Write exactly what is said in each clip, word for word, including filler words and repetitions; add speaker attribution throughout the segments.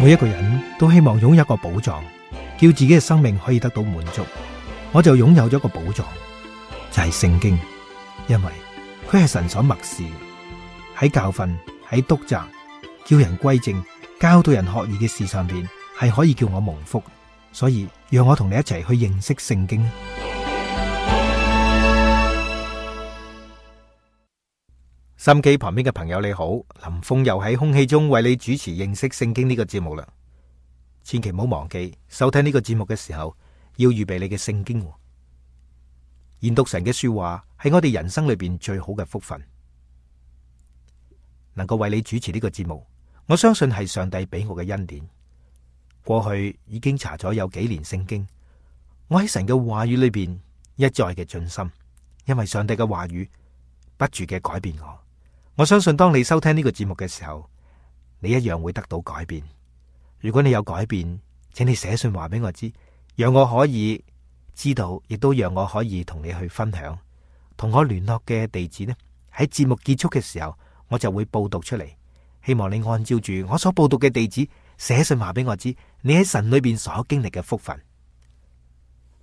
Speaker 1: 每一個人都希望擁有一個寶藏，叫自己嘅生命可以得到滿足。我就擁有咗一個寶藏，就係聖經，因為佢係神所默示，喺教訓、喺督責、叫人歸正、教導人學義嘅事上邊，係可以叫我蒙福。所以讓我同你一齊去認識聖經。心機旁邊嘅朋友你好，林峰又喺空氣中為你主持認識聖經呢個節目啦。千祈唔好忘記收聽呢個節目嘅時候，要預備你嘅聖經。研讀神嘅說話係我哋人生裏邊最好嘅福分。能夠為你主持呢個節目，我相信係上帝俾我嘅恩典。過去已經查咗有幾年聖經，我喺神嘅話語裏邊一再嘅進深，因為上帝嘅話語不住嘅改變我。我相信當你收聽呢個節目嘅時候，你一樣會得到改變。如果你有改變，請你寫信話俾我知，讓我可以知道，亦都讓我可以同你去分享。同我聯絡嘅地址呢，喺節目結束嘅時候，我就會報讀出嚟。希望你按照住我所報讀嘅地址寫信話俾我知，你喺神裏邊所經歷嘅福分。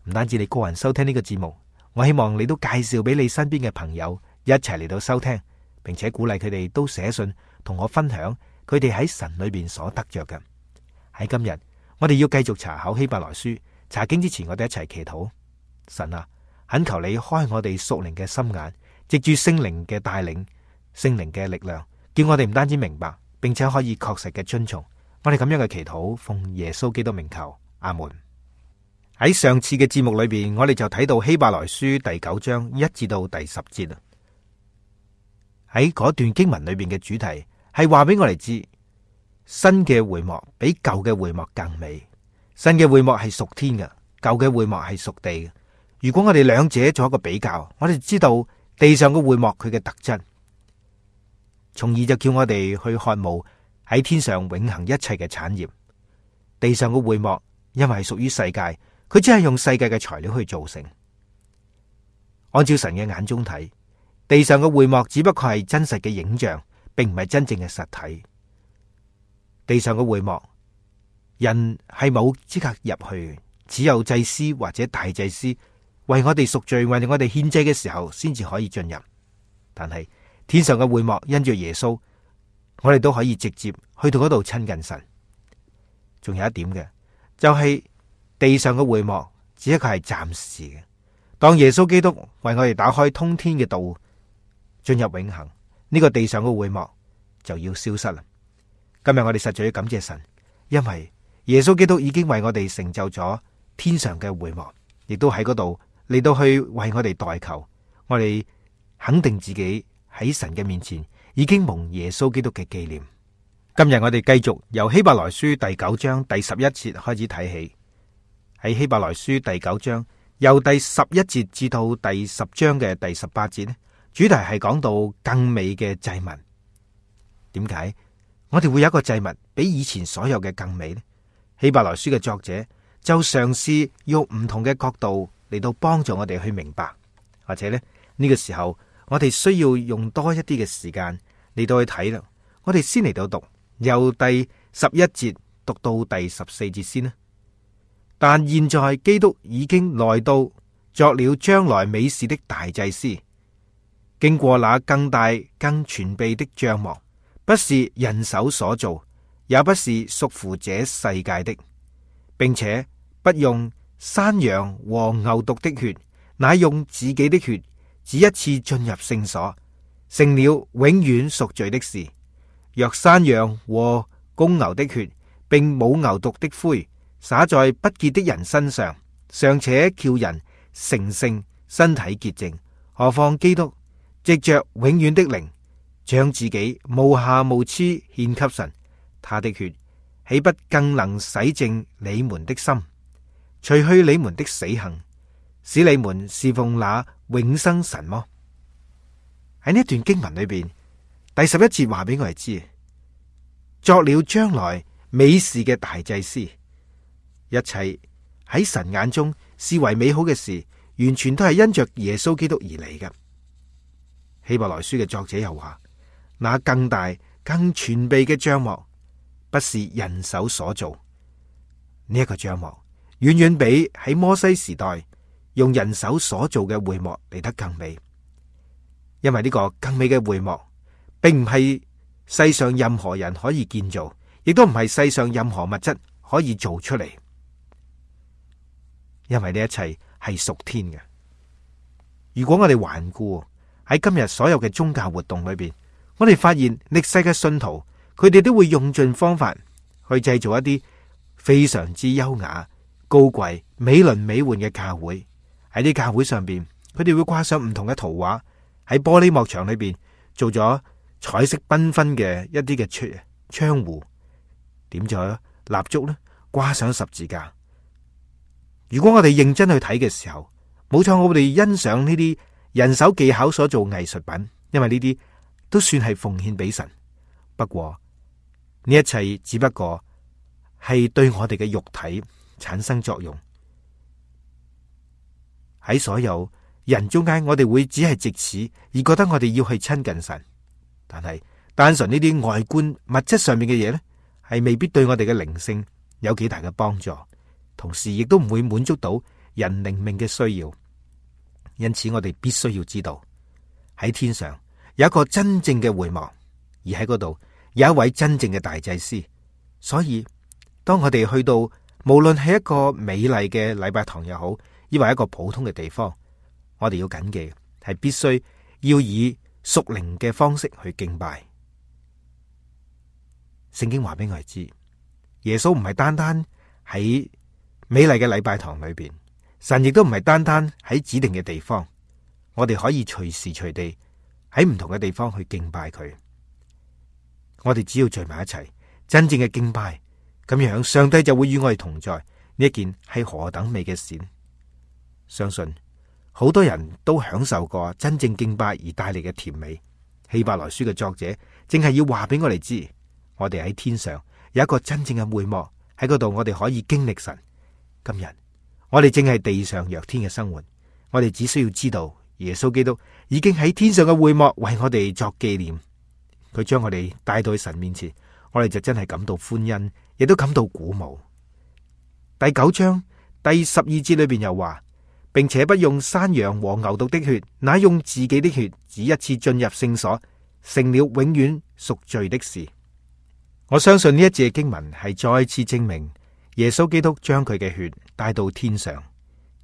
Speaker 1: 唔單止你個人收聽呢個節目，我希望你都介紹俾你身邊嘅朋友一齊嚟到收聽，並且鼓勵佢哋都寫信同我分享佢哋喺神裏邊所得着嘅。喺今日，我哋要繼續查考希伯來書。查經之前，我哋一齊祈禱。神啊，懇求你開我哋屬靈嘅心眼，藉住聖靈嘅帶領、聖靈嘅力量，叫我哋唔單止明白，並且可以確實嘅遵從。我哋咁樣嘅祈禱，奉耶穌基督名求，阿門。喺上次嘅節目裏邊，我哋就睇到希伯來書第九章一至到第十節啦。喺嗰段經文裏邊嘅主題係話俾我哋知，新嘅會幕比舊嘅會幕更美。新嘅會幕係屬天嘅，舊嘅會幕係屬地嘅。如果我哋兩者做一個比較，我哋知道地上嘅會幕佢嘅特質，從而就叫我哋去渴慕喺天上永恆一切嘅產業。地上嘅會幕因為係屬於世界，佢只係用世界嘅材料去造成。按照神嘅眼中睇，地上嘅會幕只不過係真實嘅影像，並唔係真正嘅實體。地上嘅會幕，人係冇資格入去，只有祭司或者大祭司為我哋贖罪，為我哋獻祭嘅時候，先至可以進入。但係天上嘅會幕，因着耶穌，我哋都可以直接去到嗰度親近神。仲有一點嘅，就係地上嘅會幕只一個係暫時嘅。當耶穌基督為我哋打開通天嘅道，進入永恆，呢個地上嘅會幕就要消失啦。今日我哋實在要感謝神，因為耶穌基督已經為我哋成就咗天上嘅會幕，亦都喺嗰度嚟到去為我哋代求。我哋肯定自己喺神嘅面前已經蒙耶穌基督嘅紀念。今日我哋繼續由希伯來書第九章第十一節開始睇起。喺希伯來書第九章由第十一節至到第十章嘅第十八節呢，主題係講到更美嘅祭物。點解我哋會有一個祭物比以前所有嘅更美呢？希伯來書嘅作者就嘗試用唔同嘅角度嚟到幫助我哋去明白，或者呢，呢個時候我哋需要用多一啲嘅時間嚟到去睇啦。我哋先嚟到讀由第十一節讀到第十四節先啦。但現在基督已經來到，作了將來美事的大祭司，經過那更大更全備的帳幕，不是人手所造，也不是屬乎這世界的，並且不用山羊和牛犢的血，乃用自己的血，只一次進入聖所，成了永遠贖罪的事。若山羊和公牛的血，並母牛犢的灰，灑在不潔的人身上，尚且叫人成聖，身體潔淨，何況基督藉着永遠的靈，將自己無瑕無疵獻給神，他的血豈不更能洗淨你們的心，除去你們的死行，使你們侍奉那永生神麼？喺呢段經文裏邊，第十一節話俾我哋知，作了將來美事嘅大祭司，一切喺神眼中視為美好嘅事，完全都係因着耶穌基督而嚟嘅。希伯來書嘅作者又話，那更大更全備嘅帳幕，不是人手所做。呢一個帳幕遠遠比喺摩西時代用人手所做嘅會幕嚟得更美，因為呢個更美嘅會幕並唔係世上任何人可以建造，亦都唔係世上任何物質可以做出嚟，因為呢一切係屬天嘅。如果我哋環顧喺今日所有嘅宗教活動裏邊，我哋發現歷世嘅信徒，佢哋都會用盡方法去製造一啲非常之優雅、高貴、美輪美奐嘅教會。喺啲教會上邊，佢哋會掛上唔同嘅圖畫，喺玻璃幕牆裏邊做咗彩色繽紛嘅一啲嘅窗窗戶，點咗蠟燭咧，掛上十字架。如果我哋認真去睇嘅時候，冇錯，我哋欣賞呢啲人手技巧所做藝術品，因為呢啲都算係奉獻俾神。不過呢一切只不過係對我哋嘅肉體產生作用。喺所有人中間，我哋會只係藉此而覺得我哋要去親近神。但係單純呢啲外觀物質上面嘅嘢呢，係未必對我哋嘅靈性有幾大嘅幫助，同時亦都唔會滿足到人靈命嘅需要。因此我哋必須要知道，喺天上有一個真正嘅會幕，而喺嗰度有一位真正嘅大祭司。所以當我哋去到，無論係一個美麗嘅禮拜堂又好，抑或一個普通嘅地方，我哋要謹記係必須要以屬靈嘅方式去敬拜。聖經話俾我哋知，耶穌唔係單單喺美麗嘅禮拜堂裏邊，神亦都唔係單單喺指定嘅地方，我哋可以隨時隨地喺唔同嘅地方去敬拜佢。我哋只要聚埋一齊，真正嘅敬拜，咁樣上帝就會與我哋同在。呢一件係何等美嘅事！相信好多人都享受過真正敬拜而帶嚟嘅甜美。希伯來書嘅作者正係要話俾我哋知，我哋喺天上有一個真正嘅會幕，喺嗰度我哋可以經歷神。今日我哋正係地上若天嘅生活，我哋只需要知道耶穌基督已經喺天上嘅會幕為我哋作紀念，佢將我哋帶到去神面前，我哋就真係感到歡欣，亦都感到鼓舞。第九章第十二節裏邊又話，並且不用山羊和牛犢的血，乃用自己的血，只一次進入聖所，成了永遠贖罪的事。我相信呢一節經文係再次證明耶穌基督將佢嘅血帶到天上，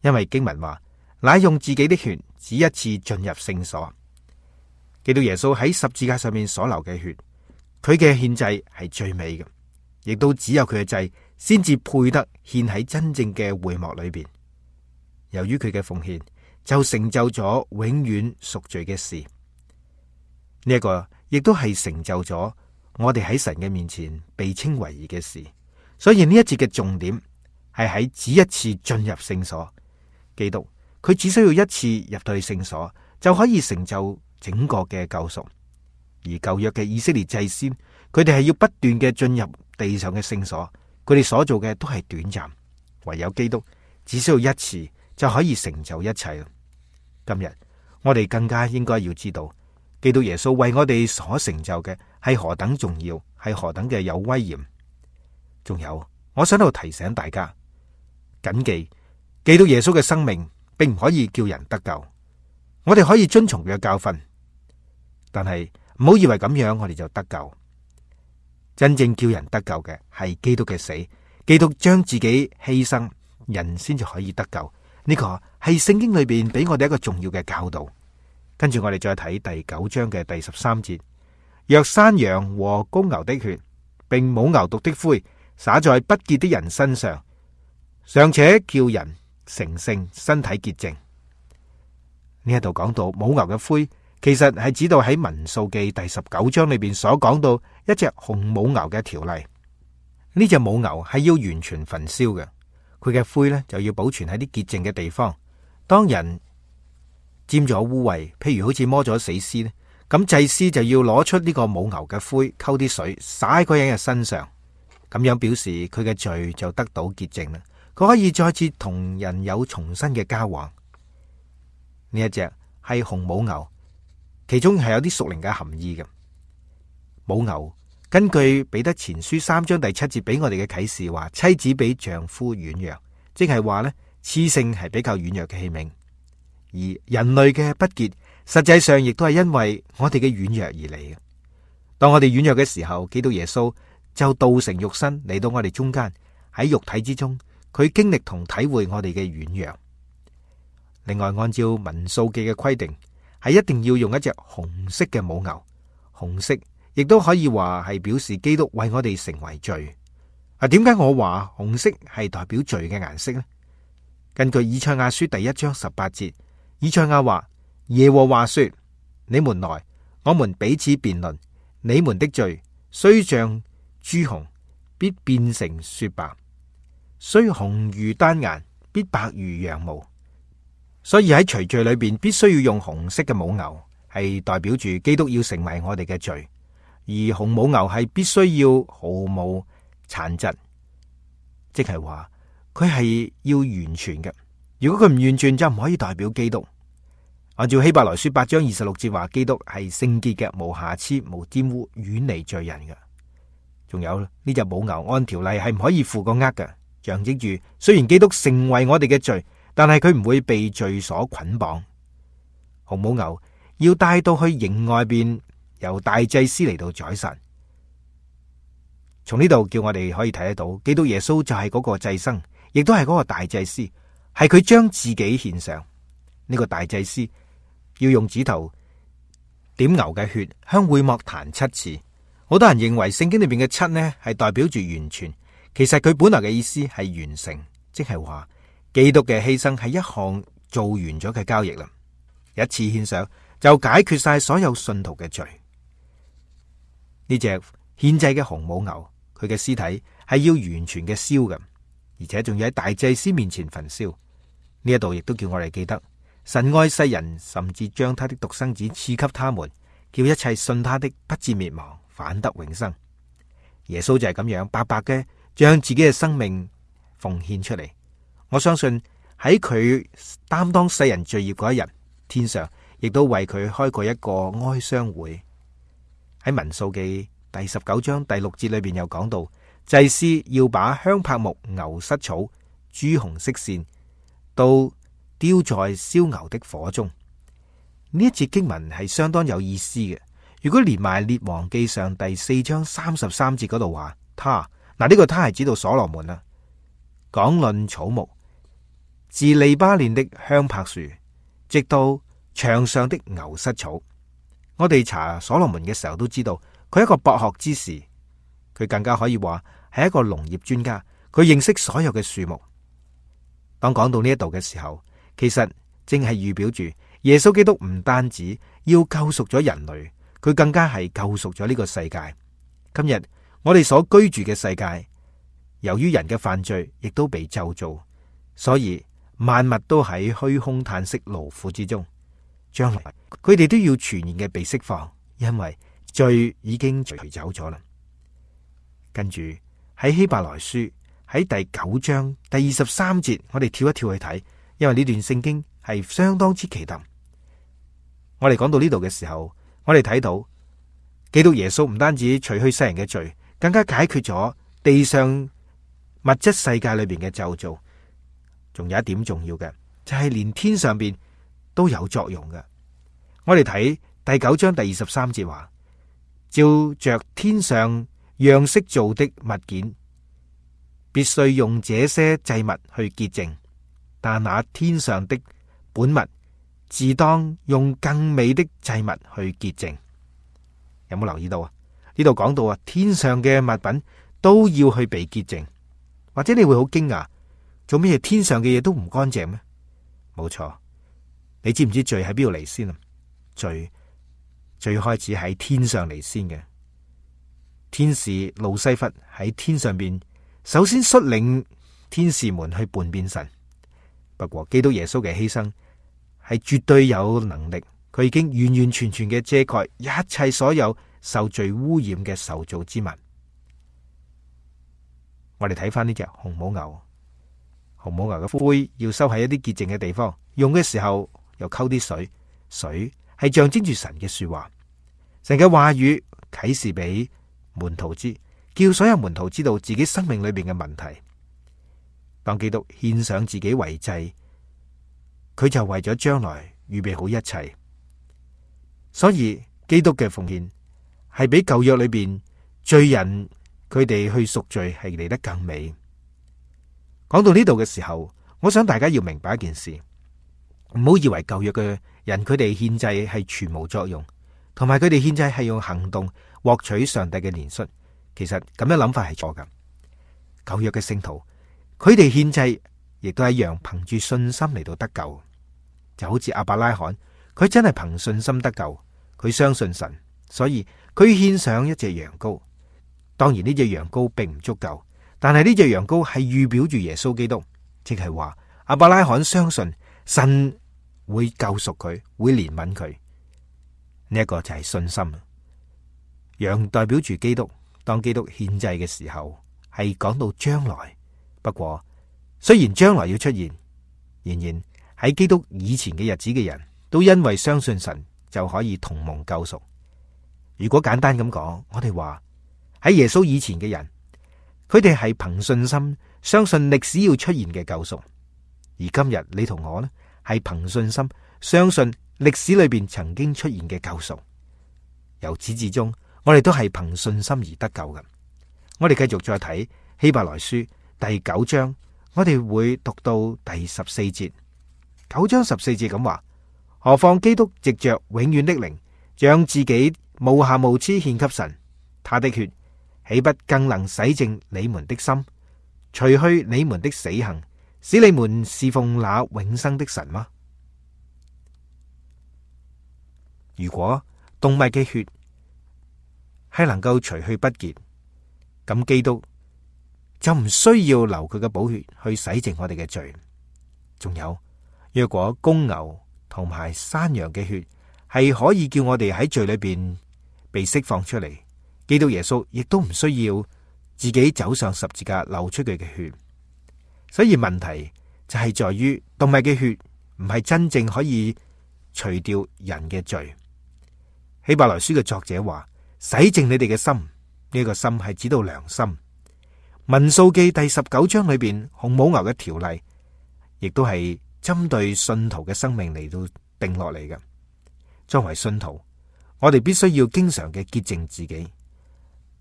Speaker 1: 因為經文話，乃用自己的血，只一次進入聖所。基督耶穌喺十字架上面所流嘅血，佢嘅獻祭係最美嘅，亦都只有佢嘅祭先至配得獻喺真正嘅會幕裏邊。由於佢嘅奉獻，就成就咗永遠贖罪嘅事。呢一個亦都係成就咗我哋喺神嘅面前被稱為義嘅事。所以呢一節嘅重點係喺只一次進入聖所。基督佢只需要一次入到去聖所，就可以成就整個嘅救贖。而舊約嘅以色列祭司，佢哋係要不斷嘅進入地上嘅聖所，佢哋所做嘅都係短暫，唯有基督只需要一次就可以成就一切。今日我哋更加應該要知道，基督耶穌為我哋所成就嘅係何等重要，係何等嘅有威嚴。仲有，我想喺度提醒大家，謹記基督耶穌嘅生命並唔可以叫人得救。我哋可以遵從佢嘅教訓，但係唔好以為咁樣我哋就得救。真正叫人得救嘅係基督嘅死，基督將自己犧牲，人先至可以得救。呢個係聖經裏邊俾我哋一個重要嘅教導。跟住我哋再睇第九章嘅第十三節，若山羊和公牛的血，並母牛犢的灰灑在不潔的人身上，尚且叫人成聖，身體潔淨。呢一度講到母牛嘅灰，其實係指到喺民數記第十九章裏邊所講到一隻紅母牛嘅條例。呢隻母牛係要完全焚燒嘅，佢嘅灰呢就要保存喺啲潔淨嘅地方。當人沾咗污穢，譬如好似摸咗死屍呢，咁祭司就要攞出呢個母牛嘅灰，溝啲水灑喺嗰人嘅身上，咁樣表示佢嘅罪就得到潔淨啦。佢可以再次同人有重新嘅交往。呢一隻係紅母牛，其中係有啲屬靈嘅含義嘅。母牛根據彼得前書三章第七節俾我哋嘅啟示話，妻子比丈夫軟弱，即係話呢，雌性係比較軟弱嘅器皿，而人類嘅不潔實際上亦都係因為我哋嘅軟弱而嚟嘅。當我哋軟弱嘅時候，基督耶穌就道成肉身嚟到我哋中間，喺肉體之中，佢經歷同體會我哋嘅軟弱。另外，按照民數記嘅規定，係一定要用一隻紅色嘅母牛，紅色亦都可以話係表示基督為我哋成為罪。啊，點解我話紅色係代表罪嘅顏色呢？根據以賽亞書第一章十八節，以賽亞話：耶和華說，你們來，我們彼此辯論，你們的罪雖像朱紅，必變成雪白；雖紅如丹顏，必白如羊毛。所以喺除罪裏邊，必須要用紅色嘅母牛，係代表住基督要成為我哋嘅罪。而紅母牛係必須要毫無殘疾，即係話佢係要完全嘅。如果佢唔完全，就唔可以代表基督。按照希伯來書八章二十六節話，基督係聖潔嘅，無瑕疵、無玷污，遠離罪人嘅。仲有呢隻母牛按條例係唔可以負個軛嘅，象徵住雖然基督成為我哋嘅罪，但係佢唔會被罪所捆綁。紅母牛要帶到去營外邊，由大祭司嚟到宰殺。從呢度叫我哋可以睇得到，基督耶穌就係嗰個祭牲，亦都係嗰個大祭司，係佢將自己獻上。呢個大祭司要用指頭點牛嘅血，向會幕彈七次。好多人認為聖經裏邊嘅七呢係代表住完全，其實佢本來嘅意思係完成，即係話基督嘅犧牲係一項做完咗嘅交易啦，一次獻上就解決晒所有信徒嘅罪。呢隻獻祭嘅紅母牛，佢嘅屍體係要完全嘅燒嘅，而且仲要喺大祭司面前焚燒。呢一度亦都叫我哋記得，神愛世人，甚至將他的獨生子賜給他們，叫一切信他的不至滅亡，反得永生。耶穌就係咁樣白白嘅將自己嘅生命奉獻出嚟。我相信喺佢擔當世人罪孽嗰一日，天上亦都為佢開過一個哀傷會。喺民數記第十九章第六節裏邊又講到，祭司要把香柏木、牛膝草、朱紅色線都丟在燒牛的火中。呢一節經文係相當有意思嘅。如果連埋列王記上第四章三十三節嗰度話，他嗱，呢個他係指到所羅門啦，講論草木，自利巴嫩的香柏樹，直到牆上的牛膝草。我哋查所羅門嘅時候都知道，佢係一個博學之士，佢更加可以話係一個農業專家，佢認識所有嘅樹木。當講到呢一度嘅時候，其實正係預表住耶穌基督唔單止要救贖咗人類，佢更加係救贖咗呢個世界。今日我哋所居住嘅世界，由於人嘅犯罪，亦都被咒詛，所以萬物都喺虛空嘆息勞苦之中。將來佢哋都要全然嘅被釋放，因為罪已經除走咗啦。跟住喺希伯來書喺第九章第二十三節，我哋跳一跳去睇，因為呢段聖經係相當之奇特。我哋講到呢度嘅時候，我哋睇到基督耶穌唔單止除去世人嘅罪，更加解決咗地上物質世界裏邊嘅咒詛。仲有一點重要嘅，就係連天上邊都有作用嘅。我哋睇第九章第二十三節話，照着天上樣式做的物件，必須用這些祭物去潔淨，但那天上的本物，自當用更美的祭物去潔淨。有冇留意到啊？呢度講到啊，天上嘅物品都要去被潔淨。或者你會好驚訝，做咩天上嘅嘢都唔乾淨咩？冇錯。你知唔知罪喺邊度嚟先啊？罪最開始喺天上嚟先嘅。天使路西弗喺天上邊，首先率領天使們去叛變神。不過基督耶穌嘅犧牲係絕對有能力，佢已經完完全全嘅遮蓋一切所有受罪污染嘅受造之物。我哋睇翻呢隻紅母牛，紅母牛嘅灰要收喺一啲潔淨嘅地方，用嘅時候又溝啲水，水係象徵住神嘅說話，神嘅話語啟示俾門徒知，叫所有門徒知道自己生命裏邊嘅問題。當基督獻上自己為祭，佢就為咗將來預備好一切。所以基督嘅奉獻係比舊約裏邊罪人佢哋去贖罪係嚟得更美。講到呢度嘅時候，我想大家要明白一件事，唔好以為舊約嘅人佢哋獻祭係全無作用，同埋佢哋獻祭係用行動獲取上帝嘅憐恤。其實咁樣諗法係錯㗎。舊約嘅聖徒，佢哋獻祭亦都一樣憑住信心嚟到得救，就好似亞伯拉罕，佢真係憑信心得救，佢相信神，所以佢獻上一隻羊羔。當然呢隻羊羔並唔足夠，但係呢隻羊羔係預表住耶穌基督，即係話亞伯拉罕相信神會救贖佢，會憐憫佢。呢一個就係信心。羊代表住基督，當基督獻祭嘅時候係講到將來。不過雖然將來要出現，仍然喺基督以前嘅日子嘅人都因為相信神就可以同蒙救贖。如果簡單咁講，我哋話喺耶穌以前嘅人，佢哋係憑信心相信歷史要出現嘅救贖，而今日你同我呢，係憑信心相信歷史裏邊曾經出現嘅救贖。由始至終，我哋都係憑信心而得救嘅。我哋繼續再睇希伯來書第九章，我哋會讀到第十四節。九章十四節咁話：何況基督藉着永遠的靈，將自己無瑕無疵獻給神，他的血豈不更能洗淨你們的心，除去你們的死行，使你們侍奉那永生的神嗎？如果動物嘅血係能夠除去不潔，咁基督就唔需要流佢嘅寶血去洗淨我哋嘅罪。仲有，若果公牛同埋山羊嘅血係可以叫我哋喺罪裏邊被釋放出嚟，基督耶穌亦都唔需要自己走上十字架流出佢嘅血。所以問題就係在於動物嘅血唔係真正可以除掉人嘅罪。希伯來書嘅作者話：洗淨你哋嘅心，呢個心係指到良心。民數記第十九章裏邊紅母牛嘅條例，亦都係針對信徒嘅生命嚟到定落嚟嘅。作為信徒，我哋必須要經常嘅潔淨自己。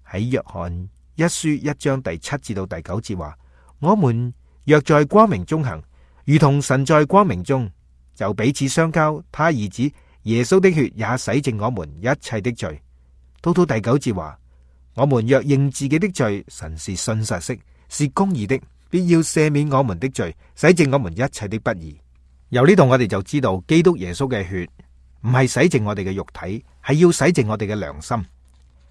Speaker 1: 喺約翰一書一章第七至到第九節話：我們若在光明中行，如同神在光明中，就彼此相交。他兒子耶穌的血也洗淨我們一切的罪。到到第九節話：我們若認自己的罪，神是信實的，是公義的，必要赦免我們的罪，洗淨我們一切的不義。由呢度我哋就知道，基督耶穌嘅血唔係洗淨我哋嘅肉體，係要洗淨我哋嘅良心。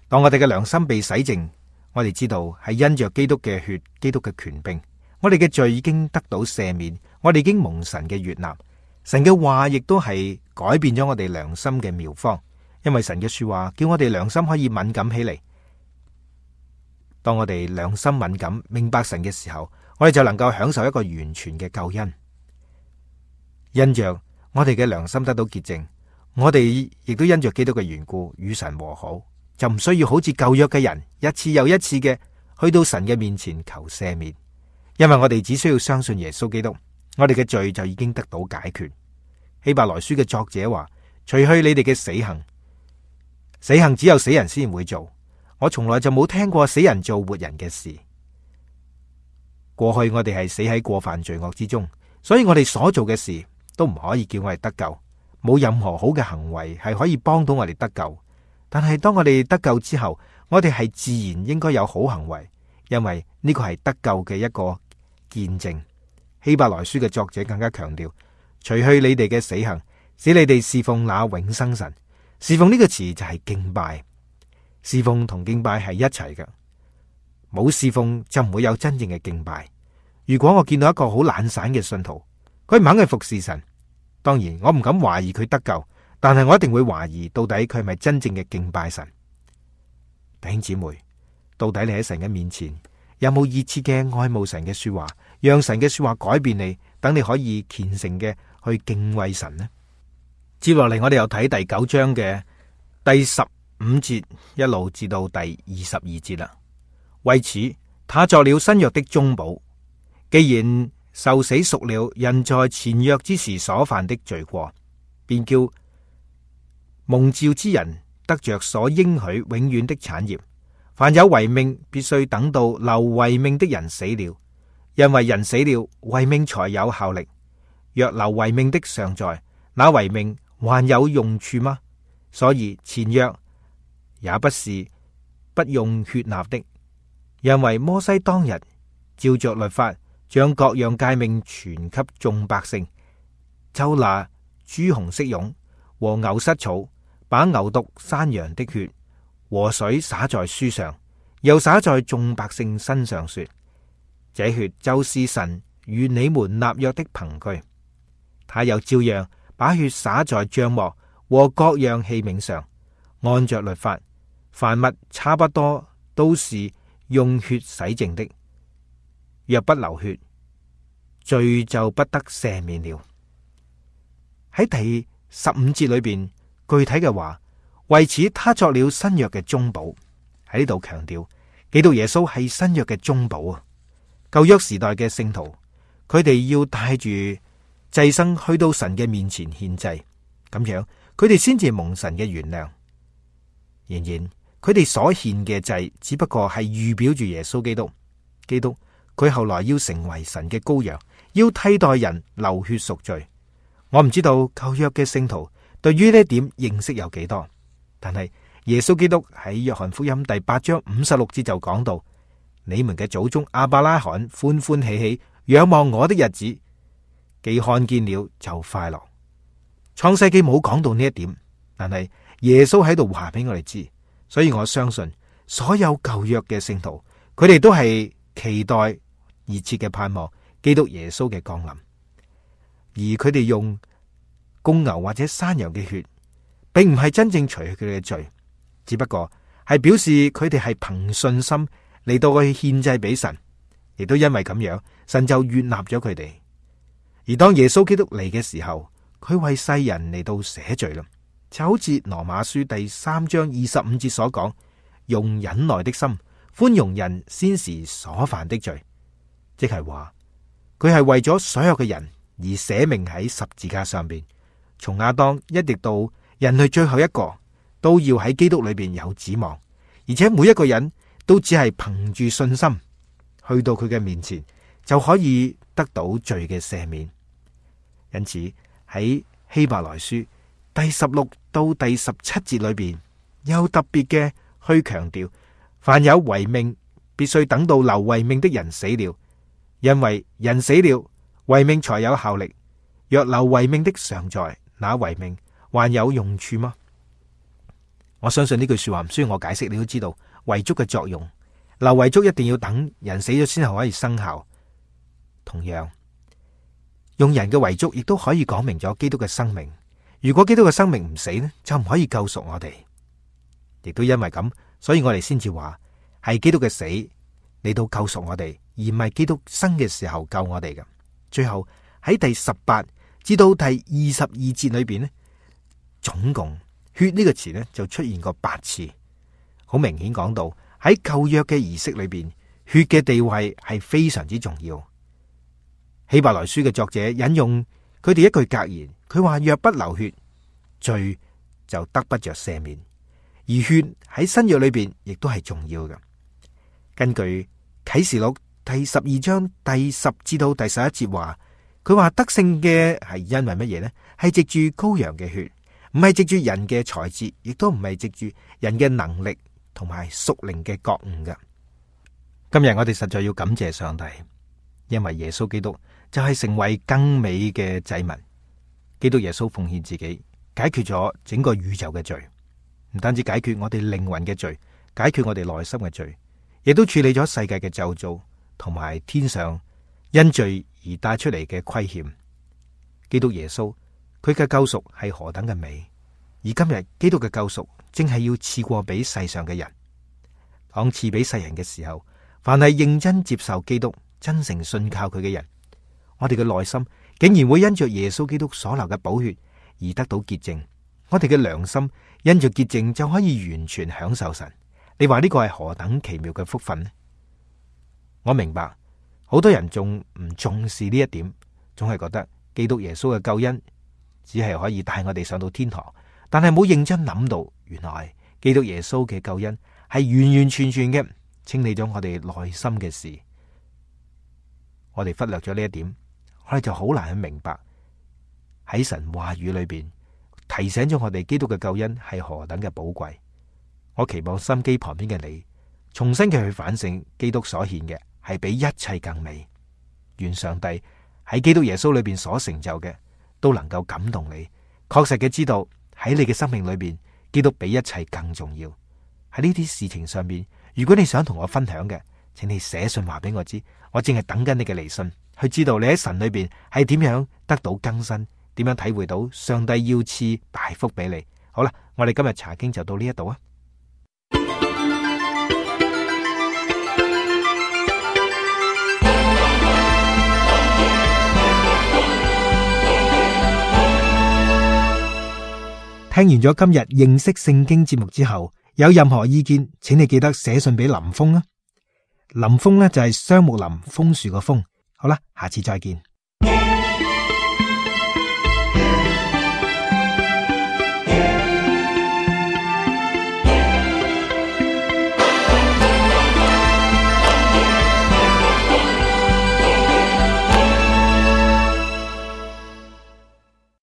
Speaker 1: 當我哋嘅良心被洗淨，我哋知道係因着基督嘅血，基督嘅權柄，我哋嘅罪已經得到赦免，我哋已經蒙神嘅悅納。神嘅話亦都係改變咗我哋良心嘅妙方，因為神嘅說話叫我哋良心可以敏感起嚟。當我哋良心敏感，明白神嘅時候，我哋就能夠享受一個完全嘅救恩。因着我哋嘅良心得到潔淨，我哋亦都因着基督嘅緣故與神和好，就唔需要好似舊約嘅人一次又一次嘅去到神嘅面前求赦免，因為我哋只需要相信耶穌基督，我哋嘅罪就已經得到解決。希伯來書嘅作者話：除去你哋嘅死行，死行只有死人先會做。我從來就冇聽過死人做活人嘅事。過去我哋係死喺過犯罪惡之中，所以我哋所做嘅事都唔可以叫我哋得救，冇任何好嘅行為係可以幫到我哋得救。但係當我哋得救之後，我哋係自然應該有好行為，因為呢個係得救嘅一個見證。希伯來書嘅作者更加強調：除去你哋嘅死行，使你哋侍奉那永生神。侍奉呢個詞就係敬拜。侍奉同敬拜係一齊嘅，冇侍奉就唔會有真正嘅敬拜。如果我見到一個好懶散嘅信徒，佢唔肯去服侍神，當然我唔敢懷疑佢得救，但係我一定會懷疑到底佢係咪真正嘅敬拜神。弟兄姊妹，到底你喺神嘅面前有冇熱切嘅愛慕神嘅說話，讓神嘅說話改變你，等你可以虔誠嘅去敬畏神呢？接落嚟我哋又睇第九章嘅第十五節一路至到第二十二節啦。為此，他作了新約的中保，既然受死贖了人在前約之時所犯的罪過，便叫蒙召之人得着所應許永遠的產業。凡有遺命，必須等到留遺命的人死了，因為人死了，遺命才有效力。若留遺命的尚在，那遺命還有用處嗎？所以前約也不是不用血納的，因為摩西當日照着律法將各樣誡命傳給眾百姓，就拿朱紅色絨和牛膝草，把牛犢山羊的血和水灑在書上，又灑在眾百姓身上，說：這血就是神與你們立約的憑據。他又照樣把血灑在帳幕和各樣器皿上，按着律法，凡物差不多都是用血洗淨的。若不流血，罪就不得赦免了。喺第十五節裏邊，具體嘅話，為此他作了新約嘅中保。喺呢度強調，基督耶穌係新約嘅中保啊！舊約時代嘅聖徒，佢哋要帶住祭牲去到神嘅面前獻祭，咁樣佢哋先至蒙神嘅原諒。然然，佢哋所獻嘅祭只不過係預表住耶穌基督。基督佢後來要成為神嘅羔羊，要替代人流血贖罪。我唔知道舊約嘅聖徒對於呢一點認識有幾多，但係耶穌基督喺約翰福音第八章五十六節就講到：你們嘅祖宗亞伯拉罕歡歡喜喜仰望我的日子，既看見了就快樂。創世記冇講到呢一點，但係耶穌喺度話俾我哋知，所以我相信所有舊約嘅聖徒，佢哋都係期待熱切嘅盼望基督耶穌嘅降臨，而佢哋用公牛或者山羊嘅血，並唔係真正除去佢哋嘅罪，只不過係表示佢哋係憑信心嚟到去獻祭俾神，亦都因為咁樣，神就悅納咗佢哋。而當耶穌基督嚟嘅時候，佢為世人嚟到捨罪啦，就好似羅馬書第三章二十五節所講，用忍耐的心寬容人先時所犯的罪，即係話佢係為咗所有嘅人而捨命喺十字架上邊，從亞當一直到人類最後一個，都要喺基督裏邊有指望，而且每一個人都只係憑住信心去到佢嘅面前，就可以得到罪嘅赦免。因此喺希伯來書第十六到第十七節裏邊，又特別嘅去強調，凡有遺命，必須等到留遺命的人死了，因為人死了，遺命才有效力。若留遺命的尚在，那遺命還有用處嗎？我相信呢句說話唔需要我解釋，你都知道遺囑嘅作用。留遺囑一定要等人死咗先後可以生效。同樣，用人嘅遺囑亦都可以講明咗基督嘅生命。如果基督嘅生命唔死呢，就唔可以救贖我哋。亦都因為咁，所以我哋先至話係基督嘅死嚟到救贖我哋，而唔係基督生嘅時候救我哋嘅。最後喺第十八至到第二十二節裏邊呢，總共血呢個詞呢就出現過八次，好明顯講到喺舊約嘅儀式裏邊，血嘅地位係非常之重要。希伯來書嘅作者引用佢哋一句格言，佢話：若不流血，罪就得不着赦免。而血喺新約裏邊亦都係重要嘅。根據啟示錄第十二章第十至到第十一節話，佢話得勝嘅係因為乜嘢呢？係藉住羔羊嘅血，唔係藉住人嘅才智，亦都唔係藉住人嘅能力同埋屬靈嘅覺悟嘅。今日我哋實在要感謝上帝，因為耶穌基督就係成為更美嘅祭物。基督耶穌奉獻自己，解決咗整個宇宙嘅罪，唔單止解決我哋靈魂嘅罪，解決我哋內心嘅罪，亦都處理咗世界嘅咒詛同埋天上因罪而帶出嚟嘅虧欠。基督耶穌佢嘅救贖係何等嘅美，而今日基督嘅救贖正係要賜過俾世上嘅人。當賜俾世人嘅時候，凡係認真接受基督、真誠信靠佢嘅人，我哋嘅內心竟然會因着耶穌基督所流嘅寶血而得到潔淨，我哋嘅良心因着潔淨就可以完全享受神。你話呢個係何等奇妙嘅福分呢？我明白好多人仲唔重視呢一點，總係覺得基督耶穌嘅救恩只係可以帶我哋上到天堂，但係冇認真諗到，原來基督耶穌嘅救恩係完完全全嘅清理咗我哋內心嘅事。我哋忽略咗呢一點，我哋就好難去明白喺神話語裏邊提醒咗我哋基督嘅救恩係何等嘅寶貴。我期望心機旁邊嘅你重新嘅去反省基督所獻嘅係比一切更美。願上帝喺基督耶穌裏邊所成就嘅都能夠感動你，確實嘅知道喺你嘅生命裏邊基督比一切更重要。喺呢啲事情上面，如果你想同我分享嘅，請你寫信話俾我知，我正係等緊你嘅嚟信，去知道你喺神裏邊係點樣得到更新，點樣體會到上帝要賜大福俾你。好啦，我哋今日查經就到呢一度啊。聽完咗今日認識聖經節目之後，有任何意見，請你記得寫信俾林峰啊。林峰呢就係雙木林楓樹個楓。好啦，下次再見。